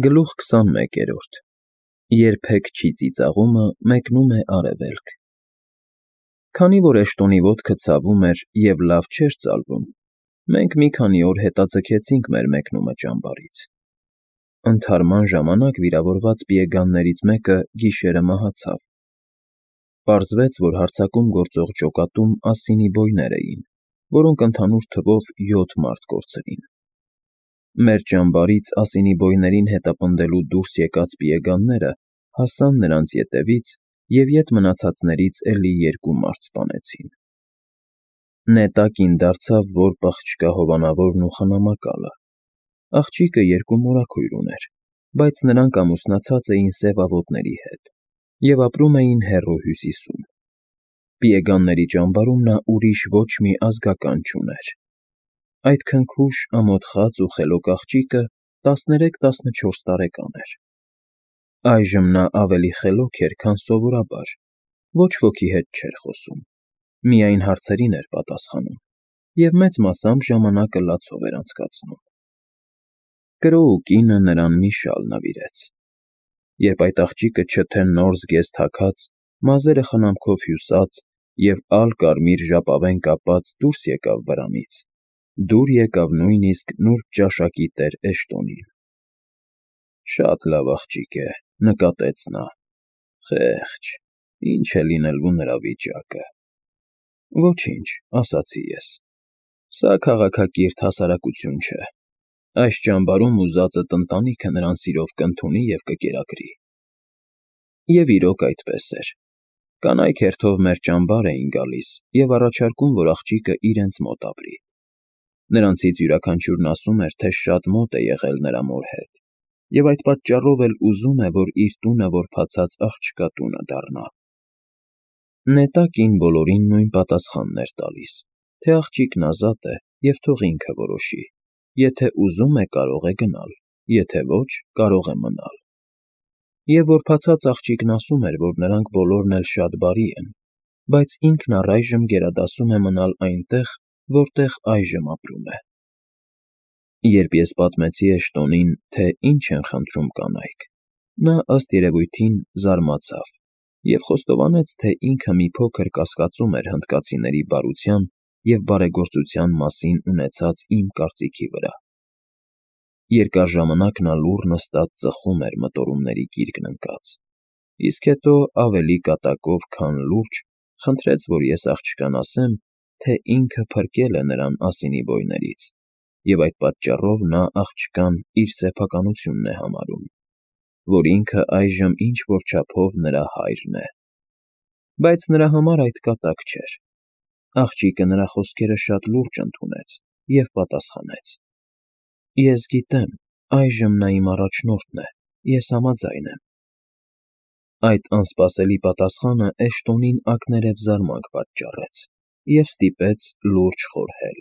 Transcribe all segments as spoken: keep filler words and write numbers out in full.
Գլուխ քսանմեկերորդ Երբեք չի ծիծաղումը մեկնում է արևելք։ Քանի որ Էշտոնի ոտքը ցավում էր և լավ չէր ծալվում, մենք մի քանի օր հետաձգեցինք մեր մեկնումը ճամբարից։ Ընդհարման ժամանակ վիրավորված պիեգաններից մեկը գիշերը մահացավ։ Պարզվեց, որ հարձակում գործող ջոկատում ասինի բոյներ էին, որոնք ընդհանուր թվով յոթ մարդ կորցրին։ Մեր ճամբարից ասինի բոյներին հետապնդելու դուրս եկած պիեգանները հասան նրանց ետևից և ետ մնացածներից էլի երկու մարդ սպանեցին։ Նետակին դարձավ, որ պղճկա հովանավորն ու խնամակալը։ Աղջիկը երկու մորաքույր ուներ, բայց նրանք ամուսնացած էին սև ավոտների հետ և ապրում էին հեռու հյուսիսում։ Պիեգանների ճամբարում նա ուրիշ ոչ մի ազգական չուներ։ Այդ քնքուշ, ամոթխած ու խելոք աղջիկը տասներեք֊տասնչորս տարեկան էր։ Այժմ նա ավելի խելոք էր, քան սովորաբար, ոչ ոքի հետ չէր խոսում, միայն հարցերին էր պատասխանում և մեծ մասամբ ժամանակը լացով էր անցկացնում։ Կրոու կինը նրան մի շալ նվիրեց։ Երբ այդ աղջիկը չթե նոր զգեստ թաքած, մազերը խնամքով հյուսած և ալ֊կարմիր ժապավեն կապած դուրս եկավ վրանից, դուր եկավ նույնիսկ նուրբ ճաշակի տեր Էշտոնին։ ֊ Շատ լավ աղջիկ է,֊ նկատեց նա,֊ խեղճ, ինչ է լինելու նրա վիճակը։ ֊ Ոչինչ,֊ ասացի ես,֊ սա քաղաքակիրթ հասարակություն չէ։ Այս ճամբարում ուզածդ ընտանիքը նրան սիրով կընդունի և կկերակրի։ Եվ իրոք այդպես էր։ Կանայք հերթով մեր ճամբար էին գալիս և առաջարկում, որ աղջիկը իրենց մոտ ապրի։ Նրանցից յուրաքանչյուրն ասում էր, թե շատ մոտ է եղել նրա մոր հետ և այդ պատճառով էլ ուզում է, որ իր տունը որբացած աղջկա տունը դառնա։ Նետակին բոլորին նույն պատասխանն էր տալիս, թե աղջիկն ազատ է և թող ինքը որոշի, եթե ուզում է, կարող է գնալ, եթե ոչ, կարող է մնալ։ Եվ որբացած աղջիկն ասում էր, որ նրանք բոլորն էլ շատ բարի են, բայց ինքն առայժմ գերադասում է մնալ այնտեղ, որտեղ այժմ ապրում է։ Երբ ես պատմեցի Էշտոնին, թե ինչ են խնդրում կանայք, նա, ըստ երևույթին, զարմացավ և խոստովանեց, թե ինքը մի փոքր կասկածում էր հնդկացիների բարության և բարեգործության մասին ունեցած իմ կարծիքի վրա։ Երկար ժամանակ նա լուռ նստած ծխում էր մտորումների գիրկն ընկած, իսկ հետո ավելի կատակով, քան լուրջ, խնդրեց, որ ես աղջկան ասեմ, թե ինքը փրկել է նրան ասինի բոյներից, և այդ պատճառով նա աղջկան իր սեփականությունն է համարում, որ ինքը այժմ ինչ֊որ չափով նրա հայրն է։ Բայց նրա համար այդ կատակ չէր։ Աղջիկը նրա խոսքերը շատ լուրջ ընդունեց և պատասխանեց. Ես գիտեմ, այժմ նա իմ առաջնորդն է, ես համաձայն եմ։ Այդ անսպասելի պատասխանը Էշտոնին ակներև զարմանք պատճառեց և ստիպեց լուրջ խորհել։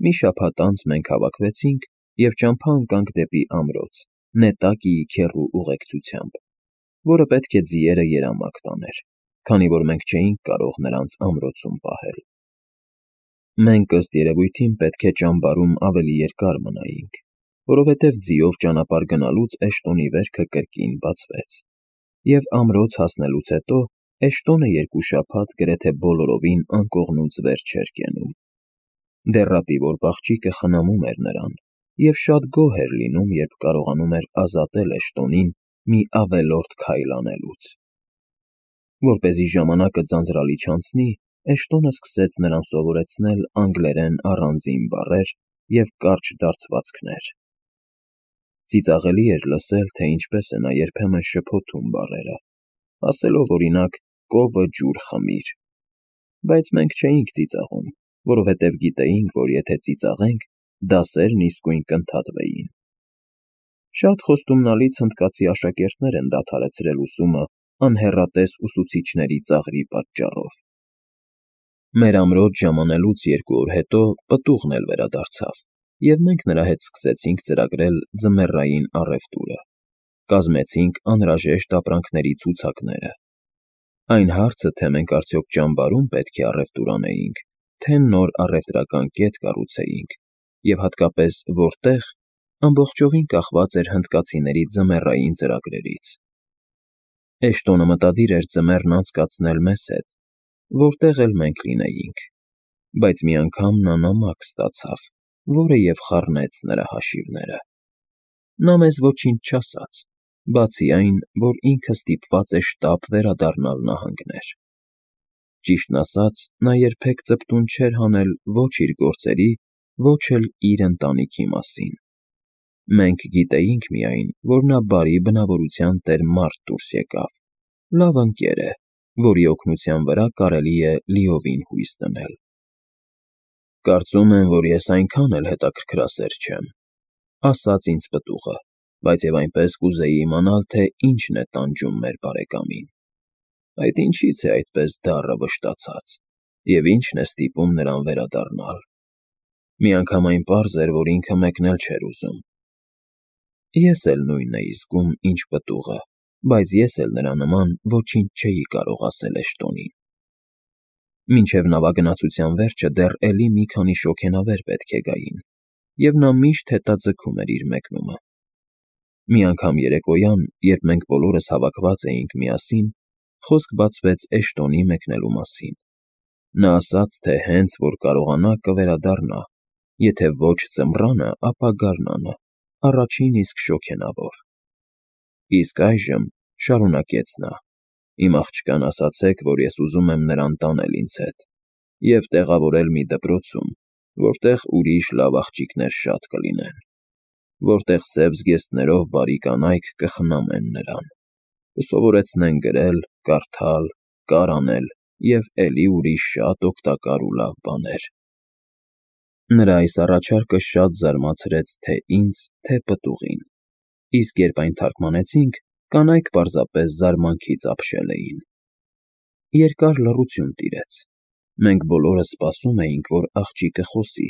Մի շաբաթ անց մենք հավաքվեցինք և ճամփա ընկանք դեպի ամրոց Նետակիի քեռու ուղեկցությամբ, որը պետք է ձիերը երամակ տաներ, քանի որ մենք չէինք կարող նրանց ամրոցում պահել։ Մենք, ըստ երևույթին, պետք է ճամբարում ավելի երկար մնայինք, որովհետև ձիով ճանապարհ գնալուց Էշտոնի վերքը կրկին բացվեց, և ամրոց հասնելուց հետո Էշտոնը երկու շաբաթ գրեթե բոլորովին անկողնուց վեր չէր կենում։ Դեռատիվորպ աղջիկը խնամում էր նրան և շատ գոհ էր լինում, երբ կարողանում էր ազատել Էշտոնին մի ավելորդ քայլ անելուց։ Որպեսզի ժամանակը ձանձրալի չանցնի, Էշտոնը սկսեց նրան սովորեցնել անգլերեն առանձին բառեր և կարճ դարձվածքներ։ Ծիծաղելի էր լսել, թե ինչպես է նա երբեմն շփոթում բառերը, ասելով, օրինակ, կովը ջուր խմիր։ Բայց մենք չէինք ծիծաղում, որովհետև գիտեինք, որ եթե ծիծաղենք, դասերն իսկույն կընդհատվեին։ Շատ խոստումնալից հնդկացի աշակերտներ են դադարեցրել ուսումը անհեռատես ուսուցիչների ծաղրի պատճառով։ Մեր ամրոց ժամանելուց երկու օր հետո պտուղն էլ վերադարձավ, և մենք նրա հետ սկսեցինք ծրագրել ձմեռային առևտուրը, կազմեցինք անհրաժեշտ ապրանքների ցուցակները։ Այն հարցը, թե մենք արդյոք ճամբարում պետք է առևտուր անեինք, թե նոր առևտրական կետ կառուցեինք, և հատկապես որտեղ, ամբողջովին կախված էր հնդկացիների ձմեռային ծրագրերից։ Էշտոնը մտադիր էր ձմեռն անցկացնել մեզ հետ, որտեղ էլ մենք լինեինք, բայց մի անգամ նա նամակ ստացավ, որը և խառնեց նրա հաշիվները։ Նա մեզ ոչինչ չասաց, բացի այն, որ ինքը ստիպված է շտապ վերադառնալ նահանգներ։ Ճիշտն ասած, նա երբեք ծպտուն չէր հանել ոչ իր գործերի, ոչ էլ իր ընտանիքի մասին։ Մենք գիտեինք միայն, որ նա բարի բնավորության տեր մարդ դուրս եկավ, լավ ընկեր է, որի օգնության վրա կարելի է լիովին հույս դնել։ «Կարծում եմ, որ ես այնքան էլ հետաքրքրասեր չեմ,֊ ասաց ինձ պտուղը,֊ բայց և այնպես կուզեի իմանալ, թե ինչն է տանջում մեր բարեկամին։ Այդ ինչի՞ց է այդպես դառը վշտացած, և ի՞նչն է ստիպում նրան վերադառնալ։ Միանգամայն պարզ էր, որ ինքը մեկնել չէր ուզում։ Ես էլ նույնն էի զգում, ինչ պտուղը, բայց ես էլ նրա նման ոչինչ չէի կարող ասել Էշտոնին։ Մինչև նավագնացության վերջը դեռ էլի մի քանի շոգենավեր պետք է գային, և նա միշտ հետաձգում էր իր մեկնումը։ Մի անգամ երեկոյան, երբ մենք բոլորս հավաքված էինք միասին, խոսք բացվեց Էշտոնի մեկնելու մասին։ Նա ասաց, թե հենց որ կարողանա կվերադառնա, եթե ոչ ձմռանը, ապա գարնանը, առաջին իսկ շոգենավոր։ Իսկ այժմ,֊ շարունակեց նա,֊ իմ աղջկան ասացեք, որ ես ուզում եմ նրան տանել ինձ հետ և տեղավորել մի դպրոցում, որտեղ ուրիշ լավ աղջիկներ շատ կլինեն, որտեղ սև զգեստներով բարի կանայք կխնամեն նրան, կսովորեցնեն գրել, կարդալ, կար անել և էլի ուրիշ շատ օգտակար ու լավ բաներ։ Նրա այս առաջարկը շատ զարմացրեց թե՛ ինձ, թե՛ պտուղին, իսկ երբ այն թարմգանեցինք, կանայք պարզապես զարմանքից ապշել էին։ Երկար լռություն տիրեց։ Մենք բոլորս սպասում էինք, որ աղջիկը խոսի,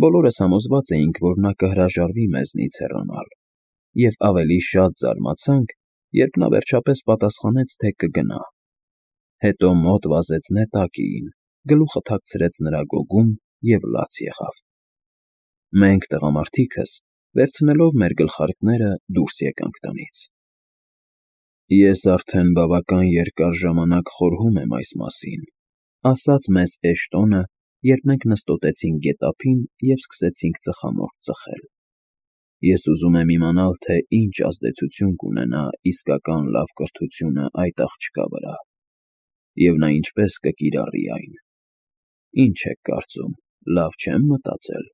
բոլորս համոզված էինք, որ նա կհրաժարվի մեզնից հեռանալ, և ավելի շատ զարմացանք, երբ նա վերջապես պատասխանեց, թե կգնա։ Հետո մոտ վազեց Նետակիին, գլուխը թաքցրեց նրա գոգում և լաց եղավ։ Մենք՝ տղամարդիկս, վերցնելով մեր գլխարկները, դուրս եկանք տնից։ «Ես արդեն բավական երկար ժամանակ խորհում եմ այս մասին,֊ ասաց մեզ Էշտոնը, երբ մենք նստոտեցինք գետափին և սկսեցինք ծխամորճ ծխել։ Ես ուզում եմ իմանալ, թե ինչ ազդեցություն կունենա իսկական լավ կրթությունը այդ աղջկա վրա, և նա ինչպես կկիրառի այն։ Ինչ եք կարծում, լավ չե՞մ մտածել»։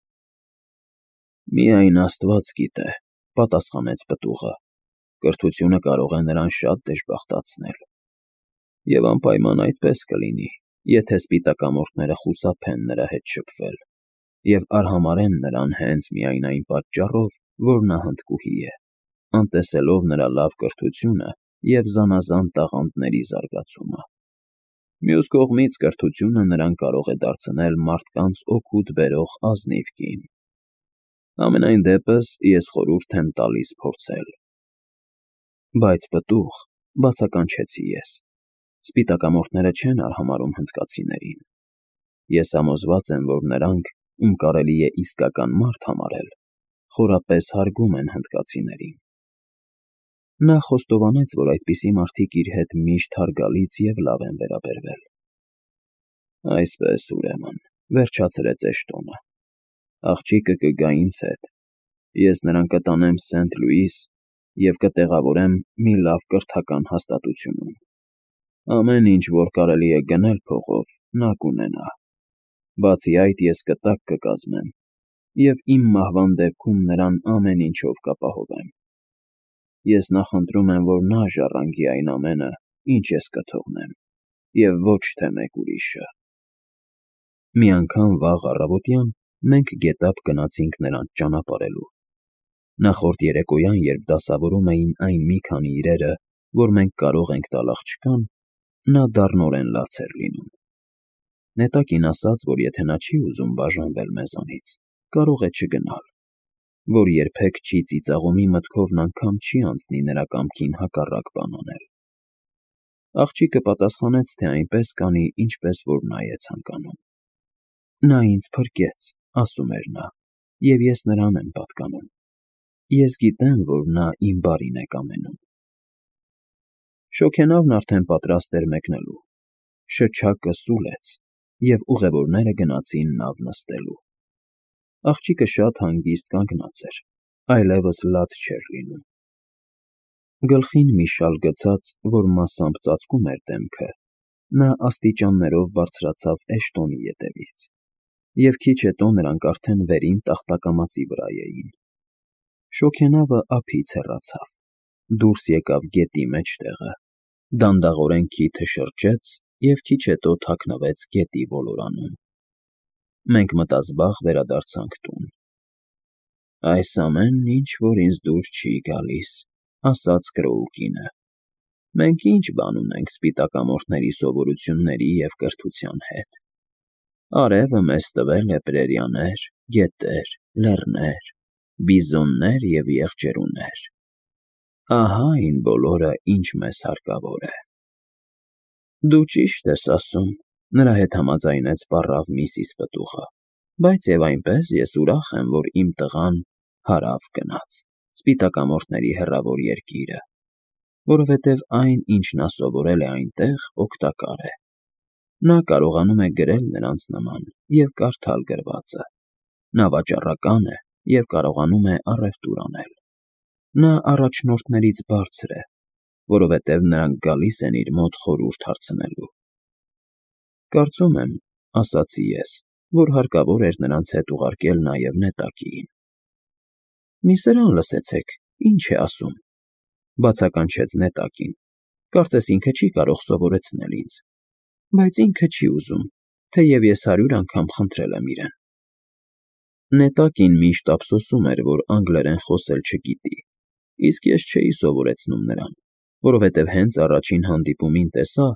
«Միայն աստված գիտե,֊ պատասխանեց պտուղը,֊ կրթությունը կարող է նրան շատ դժբախտացնել։ Եվ անպայման այդպես կլինի, եթե սպիտակամորթները խուսափեն նրա հետ շփվել և արհամարհեն նրան հենց միայն այն պատճառով, որ նա հնդկուհի է, անտեսելով նրա լավ կրթությունը և զանազան տաղանդների զարգացումը։ Մյուս կողմից, կրթությունը նրան կարող է դարձնել մարդկանց օգուտ բերող ազնիվ կին։ Համենայն դեպս, ես խորհուրդ եմ տալիս փորձել»։ «Բայց, պտուղ,֊ բացականչեցի ես,֊ սպիտակամորթները չեն արհամարհում հնդկացիներին։ Ես համոզված եմ, որ նրանք, ում կարելի է իսկական մարդ համարել, խորապես հարգում են հնդկացիներին»։ Նա խոստովանեց, որ այդպիսի մարդիկ իր հետ միշտ հարգալից և լավ են վերաբերվել։ «Այսպես, ուրեմն,֊ վերջացրեց Էշտոնը,֊ աղջիկը կգա ինձ հետ, ես նրան կտանեմ Սենթ Լուիս և կտեղավորեմ մի լավ կրթական հաստատությունում։ Ամեն ինչ, որ կարելի է գնել փողով, նա կունենա։ Բացի այդ, ես կտակ կկազմեմ և իմ մահվան դեպքում նրան ամեն ինչով կապահովեմ։ Ես նախընտրում եմ, որ նա ժառանգի այն ամենը, ինչ ես կթողնեմ, և ոչ թե մեկ ուրիշը»։ Մի անգամ վաղ առավոտյան մենք գետափ գնացինք նրանց ճանապարհելու։ Նախորդ երեկոյան, երբ դասավորում էին այն մի քանի իրերը, որ մենք կարող ենք տալ աղջկան, նա դառնորեն լաց էր լինում։ Նետակին ասաց, որ եթե նա չի ուզում բաժանվել մեզանից, կարող է չգնալ, որ երբեք չի ծիծաղում ի մտքովն անգամ չի անցնի նրա կամքին հակառակ բան անել։ Աղջիկը պատասխանեց, թե այնպես կանի, ինչպես որ նա է ցանկանում։ «Նա ինձ փրկեց,֊ ասում էր նա,֊ և ես նրան եմ պատկանում։ ես գիտեմ, որ նա իմ բարին է կամենում։ Շոգենավն արդեն պատրաստ էր մեկնելու, շչակը սուլեց, և ուղևորները գնացին նավ նստելու։ Աղջիկը շատ հանգիստ կանգնած էր, այլևս լաց չէր լինում։ Գլխին մի շալ գցած, որ մասամբ ծածկում էր դեմքը, նա աստիճաններով բարձրացավ Էշտոնի ետևից, և քիչ հետո նրանք արդեն վերին տախտակամածի վրա էին։ Շոգենավը ափից հեռացավ, դուրս եկավ գետի մեջտեղը, դանդաղորեն քիթը շրջեց և քիչ հետո թաքնվեց գետի ոլորանում։ Մենք մտազբաղ վերադարձանք տուն։ «Այս ամենն ինչ֊որ ինձ դուր չի գալիս», ասաց Կրոուկինը։ «Մենք ի՞նչ բան ունենք սպիտակամորթների սովորությունների և կրթության հետ։ Արևը մեզ տվել է պրերիաներ, գետեր, լեռներ, բիզոններ և եղջերուներ։ Ահա այն բոլորը, ինչ մեզ հարկավոր է»։ «Դու ճիշտ ես ասում», նրա հետ համաձայնեց պառավ միսիս պտուղը, «բայց և այնպես ես ուրախ եմ, որ իմ տղան հարավ գնաց, սպիտակամորթների հեռավոր երկիրը, որովհետև այն, ինչ նա սովորել է այնտեղ, օգտակար է։ Նա կարողանում է գրել նրանց նման և կարդալ գրվածը, նա վաճառական է և կարողանում է առևտուր անել։ Նա առաջնորդներից բարձր է, որովհետև նրանք գալիս են իր մոտ խորհուրդ հարցնելու»։ «Կարծում եմ, ֊ ասացի ես, ֊ որ հարկավոր էր նրանց հետ ուղարկել նաև Նետակիին»։ «Մի սրան լսեցեք, ինչ է ասում», ֊ բացականչեց Նետակին, «կարծես ինքը չի կարող սովորեցնել ինձ, բայց ինքը չի ուզում, թեև ես հարյուր անգամ խնդրել եմ իրեն»։ Նետակին միշտ ափսոսում էր, որ անգլերեն խոսել չգիտի, իսկ ես չէի սովորեցնում նրան, որովհետև հենց առաջին հանդիպումին տեսա,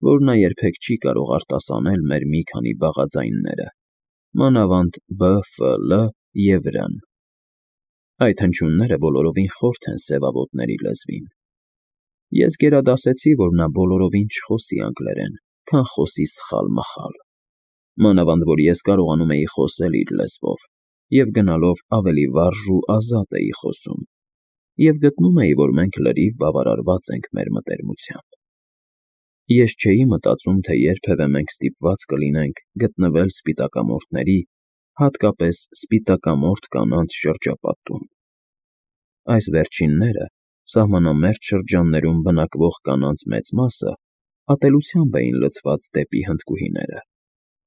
որ նա երբեք չի կարող արտասանել մեր մի քանի բաղաձայնները, մանավանդ բ, ֆ, լ և ր-ն։ Այդ հնչյունները բոլորովին խորթ են սևավոտների լեզվին։ Ես գերադասեցի, որ նա բոլորովին չխոսի անգլերեն, քան խոսի սխալ֊մխալ, մանավանդ որ ես կարողանում էի խոսել իր լեզվով և գնալով ավելի վարժ ու ազատ էի խոսում, և գտնում էի, որ մենք լրիվ բավարարված ենք մեր մտերմությամբ։ Ես չէի մտածում, թե երբևէ մենք ստիպված կլինենք գտնվել սպիտակամորթների, հատկապես սպիտակամորթ կանանց շրջապատում։ Այս վերջինները, սահմանամերձ շրջաններում բնակվող կանանց մեծ մասը, ատելությամբ էին լցված դեպի հնդկուհիները,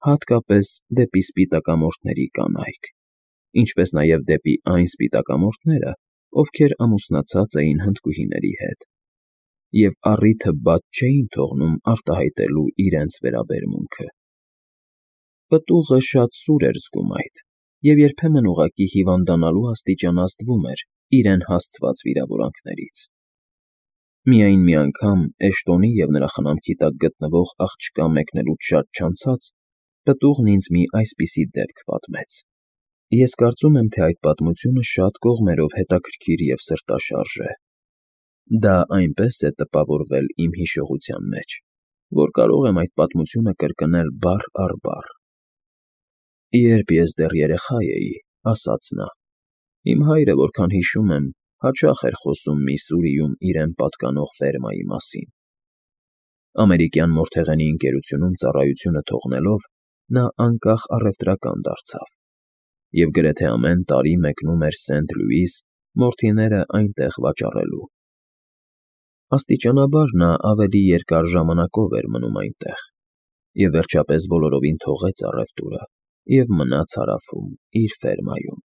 հատկապես դեպի սպիտակամորթների կանայք, ինչպես նաև դեպի այն սպիտակամորթները, ովքեր ամուսնացած էին հնդկուհիների հետ, և առիթը բաց չէին թողնում արտահայտելու իրենց վերաբերմունքը։ Պտուղը շատ սուր էր զգում այդ և երբեմն ուղղակի հիվանդանալու աստիճան ազդվում էր իրեն հասցված վիրավորանքներից։ Միայն մի անգամ Էշտոնի և նրա խնամքի տակ գտնվող աղջկա մեկնելուց շատ չանցած պտուղն ինձ մի այսպիսի դեպք պատմեց։ Ես կարծում եմ, թե այդ պատմությունը շատ կողմերով հետաքրքիր և սրտաշարժ է։ Դա այնպես է տպավորվել իմ հիշողության մեջ, որ կարող եմ այդ պատմությունը կրկնել բառ առ բառ։ «Երբ ես դեռ երեխա էի, ֊ ասաց նա, ֊ իմ հայրը, որքան հիշում եմ, հաճախ էր խոսում Միսսուրիում իրեն պատկանող ֆերմայի մասին։ Ամերիկյան մորթեղենի ընկերությունում ծառայությունը թողնելով՝ նա անկախ առևտրական դարձավ և գրեթե ամեն տարի մեկնում էր Սենթ Լյուիս մորթիները այնտեղ վաճառելու։ Աստիճանաբար նա ավելի երկար ժամանակով էր մնում այնտեղ և վերջապես բոլորովին թողեց առևտուրը և մնաց հարավում իր ֆերմայում,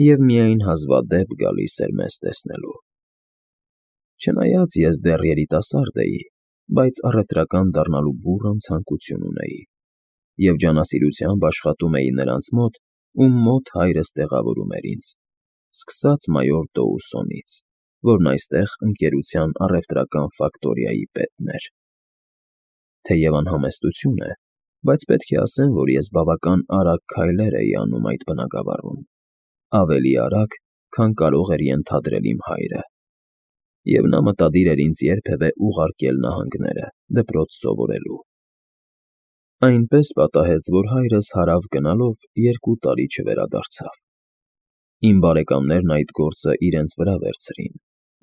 և միայն հազվադեպ գալիս էր մեզ տեսնելու։ Չնայած ես դեռ երիտասարդ էի, բայց առևտրական դառնալու բուռն ցանկություն ունեի և ջանասիրությամբ աշխատում էի նրանց մոտ, ում մոտ հայրս տեղավորում էր ինձ, սկսած մայոր Դոուսոնից, որն այստեղ ընկերության առևտրական ֆակտորիայի պետն էր։ Թեև անհամեստություն է, բայց պետք է ասեմ, որ ես բավական արագ քայլեր էի անում այդ բնակավարում, ավելի արագ, քան կարող էր ենթադրել իմ հայրը, և նա մտադիր էր ինձ երբևէ ուղարկել նահանգները դպրոց սովորելու։ Այնպես պատահեց, որ հայրս հարավ գնալով երկու տարի չվերադարձավ։ Իմ բարեկամներն այդ գործը իրենց վրա վերցրին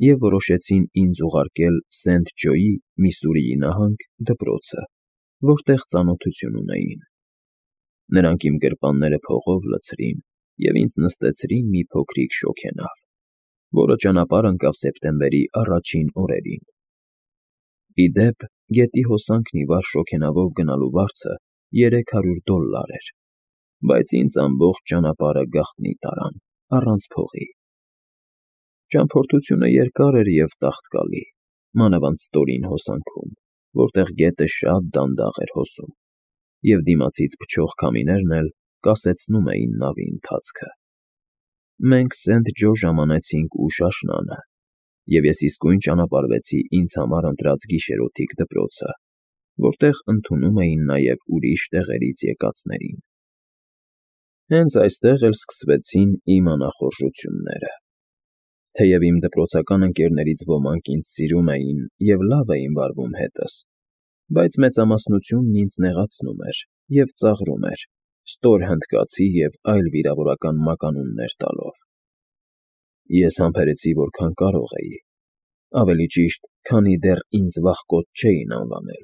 և որոշեցին ինձ ուղարկել Սենթ Ջոյի, Միսսուրիի նահանգ, դպրոցը, որտեղ ծանոթություն ունեին։ Նրանք իմ գրպանները փողով լցրին և ինձ նստեցրին մի փոքրիկ շոգենավ, որը ճանապարհ ընկավ սեպտեմբերի առաջին օրերին։ Ի դեպ, գետի հոսանքն ի վար շոգենավով գնալու վարձը երեք հարյուր դոլլար էր, բայց ինձ ամբողջ ճանապարհը գաղտնի տարան, առանց փողի։ Ճամփորդությունը երկար էր և տաղտկալի, մանավանդ ստորին հոսանքում, որտեղ գետը շատ դանդաղ էր հոսում, և դիմացից փչող քամիներն էլ կասեցնում էին նավի ընթացքը։ Մենք Սենթ Ջո ժամանեցինք ուշ աշնանը, և ես իսկույն ճանապարհվեցի ինձ համար ընտրած գիշերօթիկ դպրոցը, որտեղ ընդունում էին նաև ուրիշ տեղերից եկածներին։ Հենց այստեղ էլ սկսվեցին իմ անախորժությունները։ Թեև իմ դպրոցական ընկերներից ոմանք ինձ սիրում էին և լավ էին վարվում հետս, բայց մեծամասնությունն ինձ նեղացնում էր և ծաղրում էր, ստոր հնդկացի և այլ վիրավորական մականուններ տալով։ Ես համբերեցի որքան կարող էի, ավելի ճիշտ, քանի դեռ ինձ վախկոտ չէին անվանել։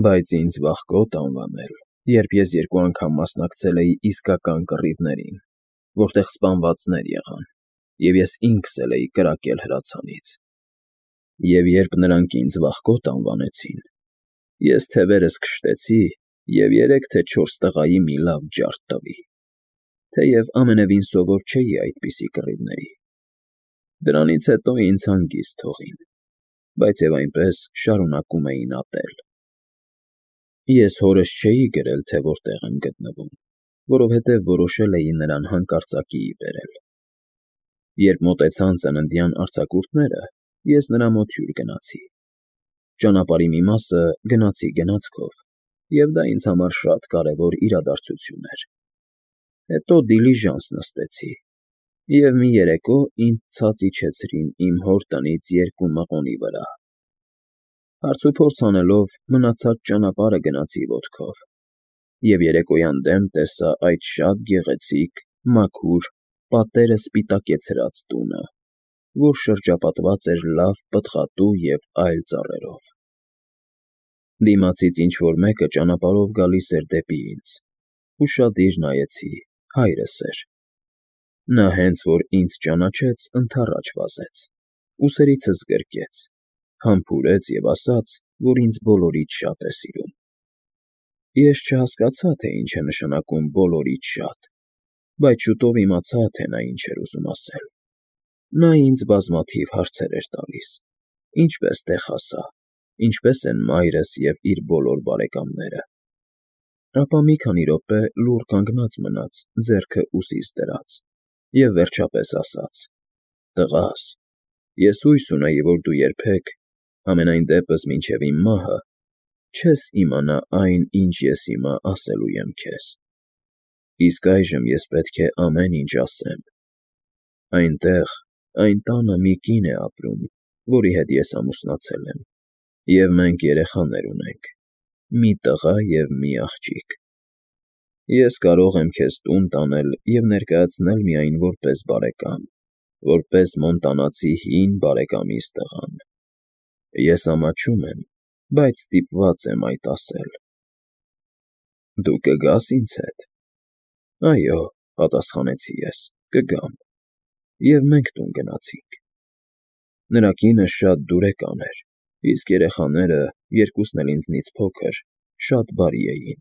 Բայց ինձ վախկոտ անվանել, երբ ես երկու անգամ մասնակցել էի իսկական կռիվներին, որտեղ սպանվածներ եղան, և ես ինքս էլ էի կրակել հրացանից։ Եվ երբ նրանք ինձ վախկոտ անվանեցին, ես թևերս քշտեցի և երեք թե չորս տղայի մի լավ ջարդ տվի, թեև ամենևին սովոր չէի այդպիսի կռիվների։ Դրանից հետո ինձ հանգիստ թողին, բայց և այնպես շարունակում էին ատել։ Ես հորս չէի գրել, թե որտեղ եմ գտնվում, որովհետև որոշել էի նրան հանկարծակիի բերել։ Երբ մոտեցան ծննդյան արձակուրդները, ես նրա մոտ հյուր գնացի։ Ճանապարհի մի մասը գնացի գնացքով, և դա ինձ համար շատ կարևոր իրադարձություն էր։ Հետո դիլիժանս նստեցի, և մի երեկո ինձ ցած իջեցրին իմ հոր տնից երկու մղոնի վրա։ Հարցուփորձ անելով մնացած ճանապարհը գնացի ոտքով, և երեկոյան դեմ տեսա այդ շատ գեղեցիկ, մաքուր, պատերը սպիտակեցրած տունը, որ շրջապատված էր լավ պտղատու և այլ ծառերով։ Դիմացից ինչ֊որ մեկը ճանապարհով գալիս էր դեպի ինձ։ Ուշադիր նայեցի, հայրս էր։ Նա հենց որ ինձ ճանաչեց, ընդառաջ վազեց, ուսերիցս գրկեց, համբուրեց և ասաց, որ ինձ բոլորից շատ է սիրում։ Ես չհասկացա, թե ինչ է նշանակում բոլորից շատ, բայց շուտով իմացա, թե նա ինչ էր ուզում ասել։ Նա ինձ բազմաթիվ հարցեր էր տալիս. ինչպես տեղ հասա, ինչպես են մայրս և իր բոլոր բարեկամները։ Ապա մի քանի րոպե լուռ կանգնած մնաց, ձեռքը ուսիս դրած, և վերջապես ասաց. «Տղա՛ս, ես հույս ունեի, որ դու երբեք, համենայն դեպս մինչև իմ մահը, չես իմանա այն, ինչ ես հիմա ասելու եմ քեզ։ Իսկ այժմ ես պետք է ամեն ինչ ասեմ։ Այնտեղ, այն տանը մի կին է ապրում, որի հետ ես ամուսնացել եմ, և մենք երեխաներ ունենք՝ մի տղա և մի աղջիկ։ Ես կարող եմ քեզ տուն տանել և ներկայացնել միայն որպես բարեկամ, որպես մոնտանացի հին բարեկամիս տղան։ Ես ամաչում եմ, բայց ստիպված եմ այդ ասել»։ «Դու կգա՞ս ինձ հետ»։ «Այո», պատասխանեցի ես, կգամ։ Եվ մենք տուն գնացինք։ Նրա կինը շատ դուրեկան էր, իսկ երեխաները, երկուսն էլ ինձնից փոքր, շատ բարի էին։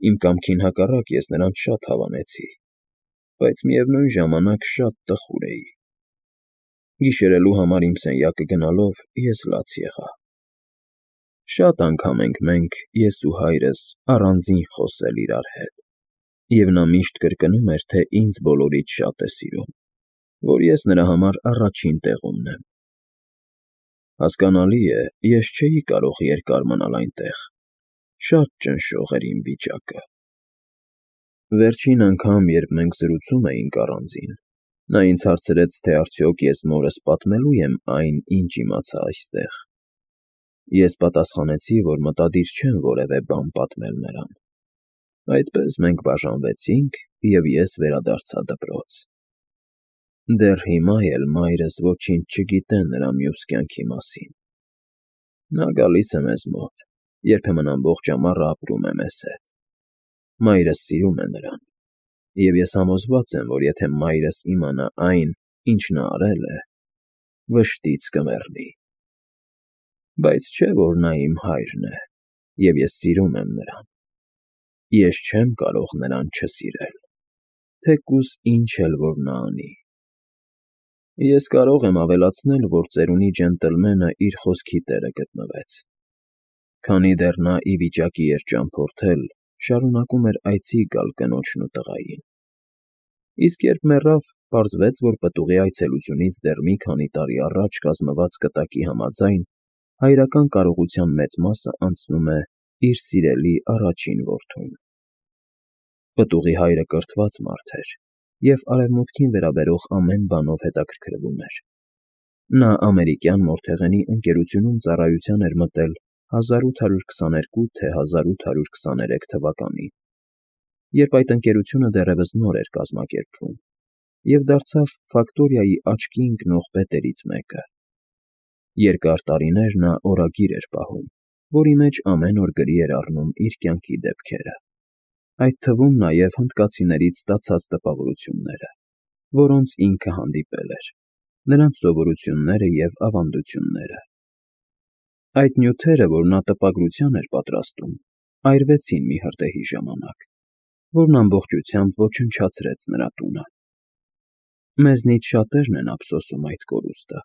Իմ կամքին հակառակ ես նրանց շատ հավանեցի, բայց միևնույն ժամանակ շատ տխուր էի։ Գիշերելու համար իմ սենյակը գնալով ես լաց եղա։ Շատ անգամ ենք մենք, ես ու հայրս, առանձին խոսել իրար հետ, և նա միշտ կրկնում էր, թե ինձ բոլորից շատ է սիրում, որ ես նրա համար առաջին տեղումն եմ։ Հասկանալի է, ես չէի կարող երկար մնալ այնտեղ, շատ ճնշող էր իմ վիճակը։ Վերջին անգամ, երբ մենք զրուցում էինք առանձին, նա ինձ հարցրեց, թե արդյոք ես մորս պատմելու եմ այն, ինչ իմացա այստեղ։ Ես պատասխանեցի, որ մտադիր չեմ որևէ բան պատմել նրան։ Այդպես մենք բաժանվեցինք, և ես վերադարձա դպրոց։ Դեռ հիմա էլ մայրս ոչինչ չգիտե նրա մյուս կյանքի մասին։ Նա գալիս է մեզ մոտ, երբեմն ամբողջ ամառը ապրում է մեզ հետ։ Մայրս սիրում է նրան, և ես համոզված եմ, որ եթե մայրս իմանա այն, ինչ նա արել է, վշտից կմեռնի։ Բայց չէ՞ որ նա իմ հայրն է, և ես սիրում եմ նրան։ Ես չեմ կարող նրան չսիրել, թեկուզ ինչ էլ որ նա անի։ Ես կարող եմ ավելացնել, որ ծերունի ջենտլմենը իր խոսքի տերը գտնվեց։ Քանի դեռ նա ի վիճակի էր ճամփորդել, շարունակում էր այցի գալ կնոջն ու տղային։ Իսկ երբ մեռավ, պարզվեց, որ պտուղի այցելությունից դեռ մի քանի տարի առաջ կազմված կտակի համաձայն, հայրական կարողության մեծ մասը անցնում է իր սիրելի առաջին որդուն։ Պտուղի հայրը կրթված մարդ էր և արևմուտքին վերաբերող ամեն բանով հետաքրքրվում էր։ Նա ամերիկյան մորթեղենի ընկերությունում ծառայության էր մտել հազար ութ հարյուր քսաներկու թե հազար ութ հարյուր քսաներեք թվականին, երբ այդ ընկերությունը դեռևս նոր էր կազմակերպվում, և դարձավ ֆակտորիայի աչքի ընկնող պետերից մեկը։ Երկար տարիներ նա օրագիր էր պահում, որի մեջ ամեն օր գրի էր առնում իր կյանքի դեպքերը, այդ թվում նաև հնդկացիներից ստացած տպավորությունները, որոնց ինքը հանդիպել էր, նրանց սովորությունները և ավանդությունները։ Այդ նյութերը, որ նա տպագրության էր պատրաստում, այրվեցին մի հրդեհի ժամանակ, որն ամբողջությամբ ոչնչացրեց նրա տունը։ Մեզնից շատերն են ափսոսում այդ կորուստը։